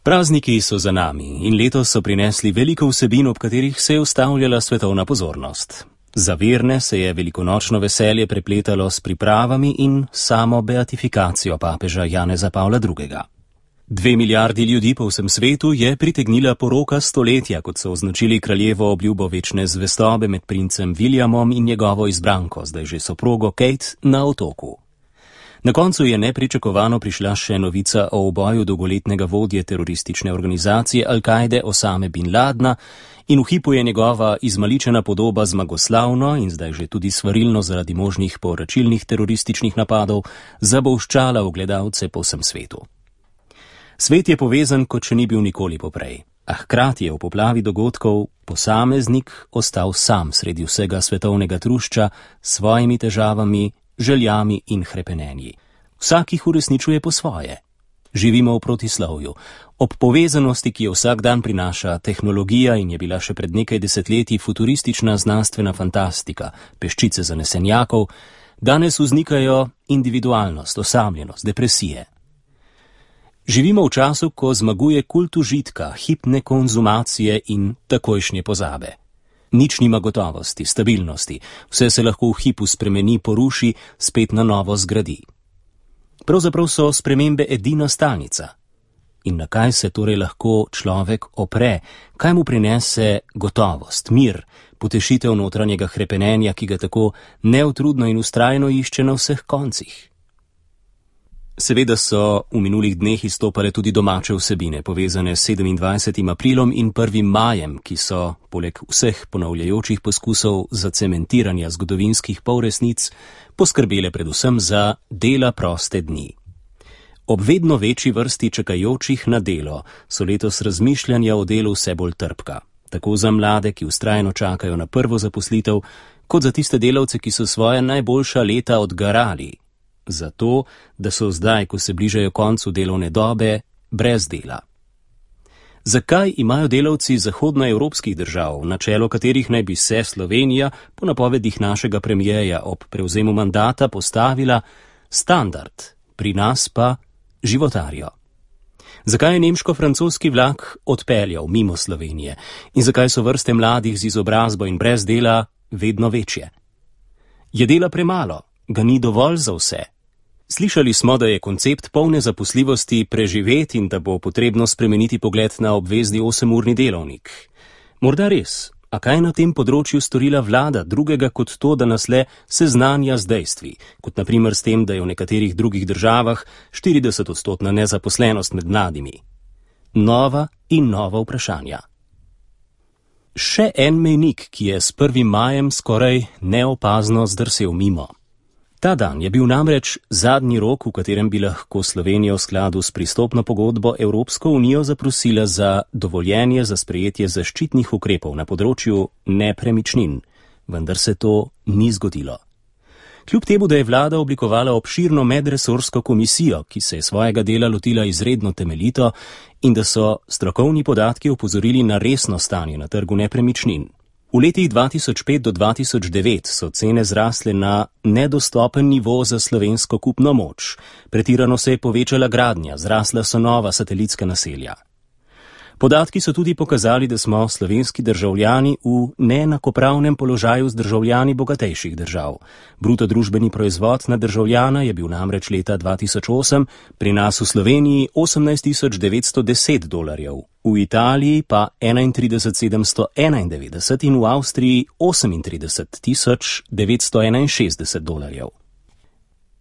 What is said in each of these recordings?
Prazniki so za nami in letos so prinesli veliko vsebin, ob katerih se je ustavljala svetovna pozornost. Za verne se je velikonočno veselje prepletalo s pripravami in samo beatifikacijo papeža Janeza Pavla II. 2 milijardi ljudi po vsem svetu je pritegnila poroka stoletja, kot so označili kraljevo obljubo večne zvestobe med princem Williamom in njegovo izbranko, zdaj že soprogo Kate, na otoku. Na koncu je nepričakovano prišla še novica o uboju dolgoletnega vodje teroristične organizacije Al-Kaide Osame bin Ladna in v hipu je njegova izmaličena podoba zmagoslavno in zdaj že tudi svarilno zaradi možnih povračilnih terorističnih napadov zabolščala v gledalce po vsem svetu. Svet je povezan, kot še ni bil nikoli poprej, a hkrati je v poplavi dogodkov posameznik ostal sam sredi vsega svetovnega trušča s svojimi težavami, željami in hrepenenji. Vsak jih uresničuje po svoje. Živimo v protislovju. Ob povezanosti, ki jo vsak dan prinaša tehnologija in je bila še pred nekaj desetletji futuristična znanstvena fantastika, peščice zanesenjakov, danes vznikajo individualnost, osamljenost, depresije. Živimo v času, ko zmaguje kult užitka, hipne konzumacije in takojšnje pozabe. Nič nima gotovosti, stabilnosti, vse se lahko v hipu spremeni, poruši, spet na novo zgradi. Pravzaprav so spremembe edina stalnica. In na kaj se torej lahko človek opre, kaj mu prinese gotovost, mir, potešitev notranjega hrepenenja, ki ga tako neutrudno in vztrajno išče na vseh koncih? Seveda so v minulih dneh izstopale tudi domače vsebine, povezane s 27. aprilom in 1. majem, ki so, poleg vseh ponavljajočih poskusov zacementiranja zgodovinskih polresnic, poskrbele predvsem za dela proste dni. Ob vedno večji vrsti čakajočih na delo so letos razmišljanja o delu vse bolj trpka, tako za mlade, ki vztrajno čakajo na prvo zaposlitev, kot za tiste delavce, ki so svoja najboljša leta odgarali. Zato, da so zdaj, ko se bližajo koncu delovne dobe, brez dela. Zakaj imajo delavci zahodnoevropskih držav, na čelo katerih naj bi se Slovenija, po napovedih našega premijeja ob prevzemu mandata, postavila standard, pri nas pa životarijo? Zakaj je nemško-francoski vlak odpeljal mimo Slovenije in zakaj so vrste mladih z izobrazbo in brez dela vedno večje? Je dela premalo? Ga ni dovolj za vse? Slišali smo, da je koncept polne zaposljivosti preživet in da bo potrebno spremeniti pogled na obvezni 8-urni delovnik. Morda res, a kaj na tem področju storila vlada drugega kot to, da nas le seznanja z dejstvi, kot na primer s tem, da je v nekaterih drugih državah 40% nezaposlenost med mladimi? Nova in nova vprašanja. Še en mejnik, ki je s 1. majem skoraj neopazno zdrsel mimo. Ta dan je bil namreč zadnji rok, v katerem bi lahko Slovenija v skladu s pristopno pogodbo Evropsko unijo zaprosila za dovoljenje za sprejetje zaščitnih ukrepov na področju nepremičnin, vendar se to ni zgodilo. Kljub temu, da je vlada oblikovala obširno medresorsko komisijo, ki se je svojega dela lotila izredno temeljito in da so strokovni podatki opozorili na resno stanje na trgu nepremičnin. V letih 2005 do 2009 so cene zrasle na nedostopen nivo za slovensko kupno moč. Pretirano se je povečala gradnja, zrasla so nova satelitska naselja. Podatki so tudi pokazali, da smo slovenski državljani v neenakopravnem položaju z državljani bogatejših držav. Bruto družbeni proizvod na državljana je bil namreč leta 2008 pri nas v Sloveniji $18,910, v Italiji pa $31,791 in v Avstriji $38,961.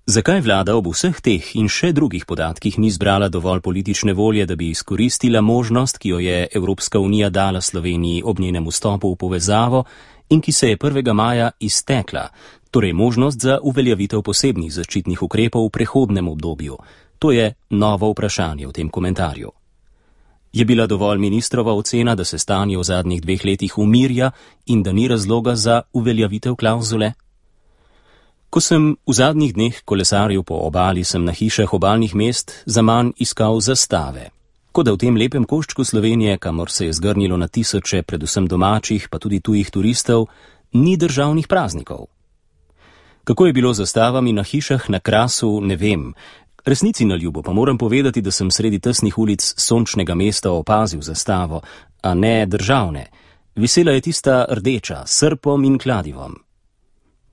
Zakaj vlada ob vseh teh in še drugih podatkih ni zbrala dovolj politične volje, da bi izkoristila možnost, ki jo je Evropska unija dala Sloveniji ob njenem vstopu v povezavo in ki se je 1. maja iztekla, torej možnost za uveljavitev posebnih zaščitnih ukrepov v prehodnem obdobju? To je novo vprašanje v tem komentarju. Je bila dovolj ministrova ocena, da se stanje v zadnjih 2 letih umirja in da ni razloga za uveljavitev klavzule? Ko sem v zadnjih dneh kolesaril po obali, sem na hišah obalnih mest zaman iskal zastave. Kot da v tem lepem koščku Slovenije, kamor se je zgrnilo na tisoče, predvsem domačih, pa tudi tujih turistov, ni državnih praznikov. Kako je bilo z zastavami na hišah na Krasu, ne vem. Resnici na ljubo pa moram povedati, da sem sredi tesnih ulic sončnega mesta opazil zastavo, a ne državne. Visela je tista rdeča, s srpom in kladivom.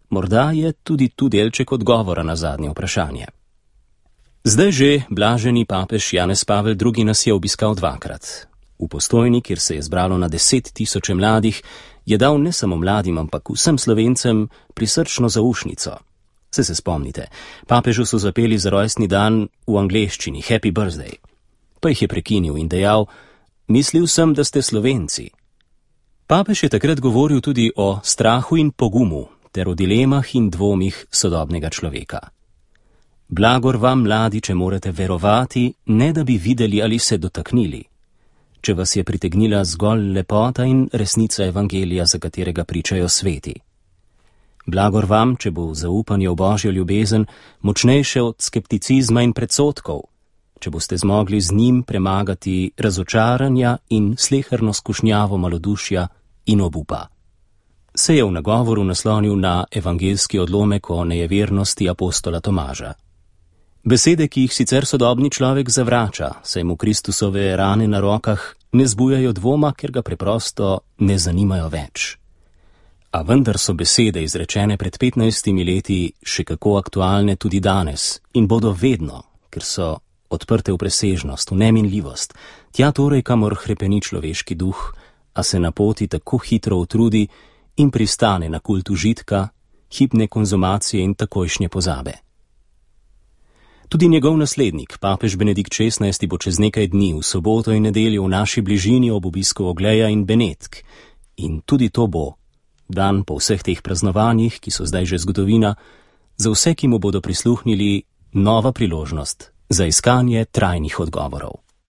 Morda je tudi tu delček odgovora na zadnje vprašanje. Zdaj že blaženi papež Janez Pavel II. Nas je obiskal dvakrat. V Postojni, kjer se je zbralo na 10 000 mladih, je dal ne samo mladim, ampak vsem Slovencem prisrčno zaušnico. Se spomnite, papežu so zapeli za rojstni dan v angleščini Happy Birthday. Pa jih je prekinil in dejal: mislil sem, da ste Slovenci. Papež je takrat govoril tudi o strahu in pogumu ter o dilemah in dvomih sodobnega človeka. Blagor vam, mladi, če morate verovati, ne da bi videli ali se dotaknili. Če vas je pritegnila zgolj lepota in resnica evangelija, za katerega pričajo sveti. Blagor vam, če bo zaupanje v Božjo ljubezen močnejše od skepticizma in predsodkov, če boste zmogli z njim premagati razočaranja in sleherno skušnjavo malodušja in obupa. Se je v nagovoru naslonil na evangeljski odlomek o nejevernosti apostola Tomaža. Besede, ki jih sicer sodobni človek zavrača, saj mu Kristusove rane na rokah ne zbujajo dvoma, ker ga preprosto ne zanimajo več. A vendar so besede, izrečene pred 15 leti, še kako aktualne tudi danes in bodo vedno, ker so odprte v presežnost, v neminljivost, tja torej, kamor hrepeni človeški duh, a se na poti tako hitro utrudi in pristane na kult užitka, hipne konzumacije in takojšnje pozabe. Tudi njegov naslednik, papež Benedikt XVI, bo čez nekaj dni v soboto in nedeljo v naši bližini ob obisku Ogleja in Benetk. In tudi to bo dan po vseh teh praznovanjih, ki so zdaj že zgodovina, za vse, ki mu bodo prisluhnili, nova priložnost za iskanje trajnih odgovorov.